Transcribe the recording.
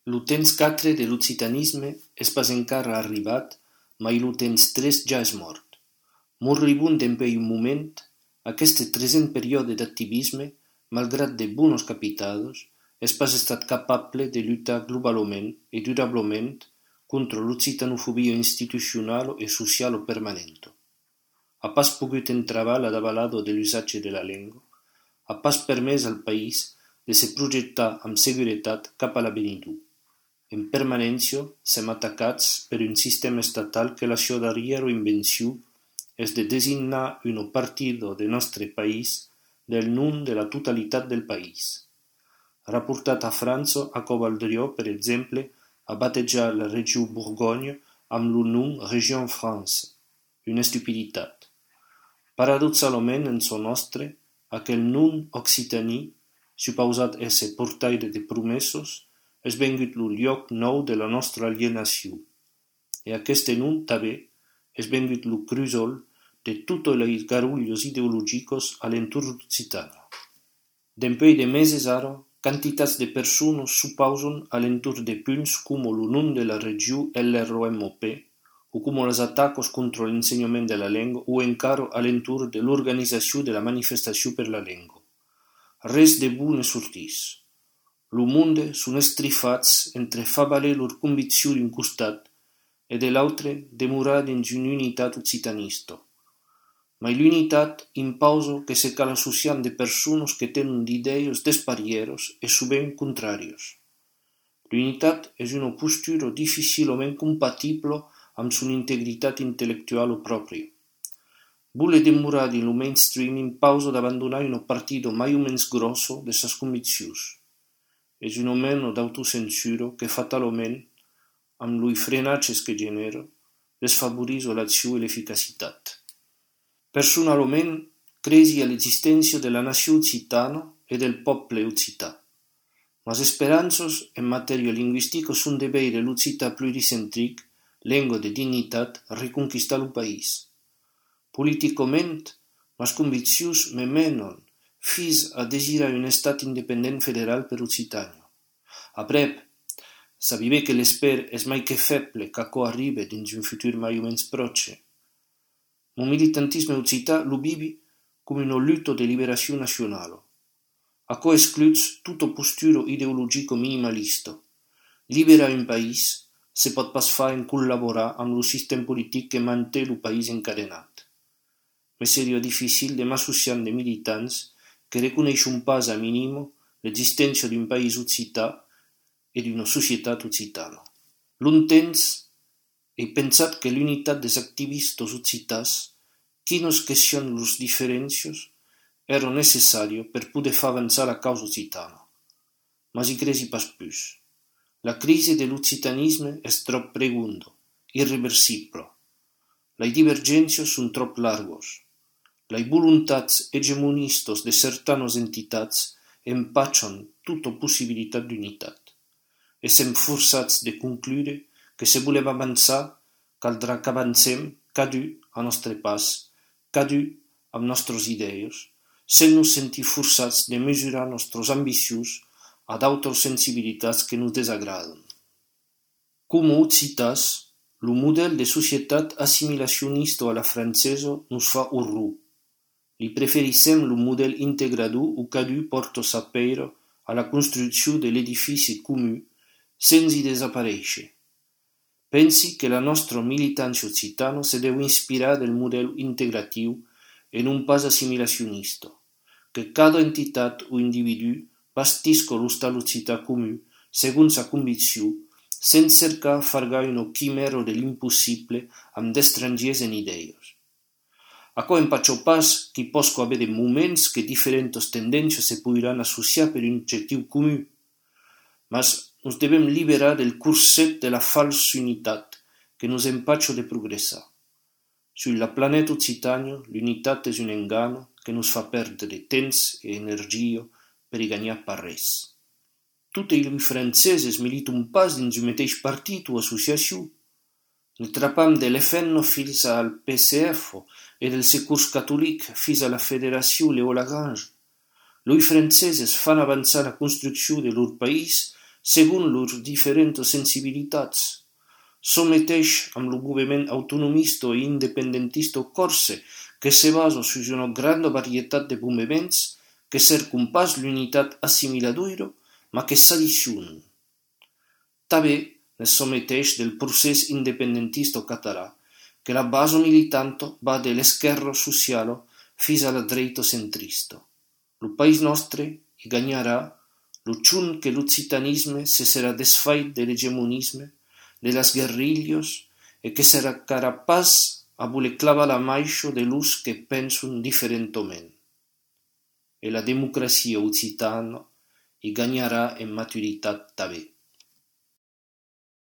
Lo temps 4 de l'occitanisme és pas encara arribat, mai lo temps 3 ja és mort. Moribund dempè un moment, aquest present període d'activisme, malgrat de buenos capitados, és pas estat capable de lluitar globalment e durablement contra l'occitanofobia institucional e social permanente. Ha pas pogut entravar la davalado de l'usatge de la lengua, ha pas permès al país de se projectar amb seguretat cap a l'avenidor. En permanència, sem atacats per un sistema estatal que la sua darriera invenció és de designar un partido de nostre país del nom de la totalitat del país. Rapportat a França, a covaldrió, per exemple, a batejar la regió Bourgogne amb el nom Région France, una estupiditat. Paradoxalment, en son nostre, aquell nom occitaní, suposat ésser portaire de promesos, és vengut lo lloc nou de la nostra alienació. E aquest nom, també, és vengut lo crusol de tots els garullos ideològicos a l'entorn d'Occitània. Dempè de meses ara, quantitats de persones s'opposen a l'entorn de punts com el nom de la regió LROMP, o com els atacs contra l'ensenyament de la llengua, o encara a l'entorn de l'organització de la manifestació per la llengua. Res de bo ne sortís. Lo monde són estrifats entre fa valer lor convicció d'un costat e de l'altre demorar dins una unitat occitanista. Ma l'unitat imposa que se cal associar de persones que tenen idees desparieres e sovint contràries. L'unitat és una postura difícilment compatible amb son integritat intel·lectual pròpria. Voler demorar dins lo mainstream imposa d'abandonar un partido mai o menys grosso de ses conviccions. És una mena d'autocensura que fatalment, amb los frenatges que genera, desfavoris l'acció i l'eficacitat. Personalment, cresi a l'existència de la nació occitana e del poble occità. Les esperances en matèria lingüística són de veure l'occità pluricentric, llengua de dignitat, reconquistar el país. Políticament, les conviccions me menen fins a desirar un estat independent federal per Occitània. Aprep, sabia que l'esper és mai que feble qu'aquò arribe dins un futur mai o menys proche. Mon militantisme occità lo vivi com una lluita de liberació nacional. Aquò excluts tota postura ideologica minimalista. Liberar un país se pot pas fer en col·laborar amb el sistema polític que manté el país encadenat. Me seria difícil de m'associar de militants que reconeixen pas a mínim l'existència d'un país occità e d'una societat occitana. Longtemps he pensat que l'unitat des activistes occitans, quines que sian les diferències, era necessària per poder fer avançar la causa occitana. Mas hi cresi pas plus. La crisi de l'occitanisme és trop pregunda, irreversible. Les divergències són trop largues. Les voluntats hegemonistes de certanes entitats empatxen tota possibilitat d'unitat. E sem forçats de conclure que si volem avançar, caldrà que avancem cadun a nostre pas, cadun amb nostres idees, sense nos sentir forçats de mesurar nostres ambicions a d'autres sensibilitats que nos desagraden. Com a occitans, el model de societat assimilacionista a la francesa nos fa horror. Li preferissem el model integrador o cadun porta sa peira a la construcció de l'edifici comú sense desaparèixer. Pensi que la nostra militància occitana se deu inspirar del model integratiu e non pas assimilacionista, que cada entitat o individu bastisca l'estat occità comú segons sa convicció, sense cercar fargar una quimera de l'impossible amb d'estrangers en idees. Aquò empatxa pas que posca haver de moments que diferents tendències se podran associar per un objectiu comú, mas nos devem liberar del corset de la falsa unitat que nos empatxa de progressar. Sur la planeta Occitània, l'unitat és un engano que nos fa perdre temps e energia per i gagnar pas res. Tots els franceses militen pas dins un mateix partit o associació. Ne trapam de l'FN fins al PCF e del Secours Catòlic fins a la Federació Léo Lagrange. Los franceses fan avançar la construcció de leur país según lurs diferents sensibilitats. Someteix amb lo moviment autonomista e independentista corse, que se basa sus una grande varietat de moviments que cercun pas l'unitat assimiladora, ma que s'addicionen. També ne someteix del procés independentista català, que la base militante va de l'esquerra sociale fins a la dreta centrista. Lo país nostre hi guanyarà lo chun que l'occitanisme se serà desfait de l'hegemonisme, de las guerrillas, e que serà capaç a voler clavar la maixa de los que pensen diferentament. E la democracia occitana hi guanyarà en maturitat també.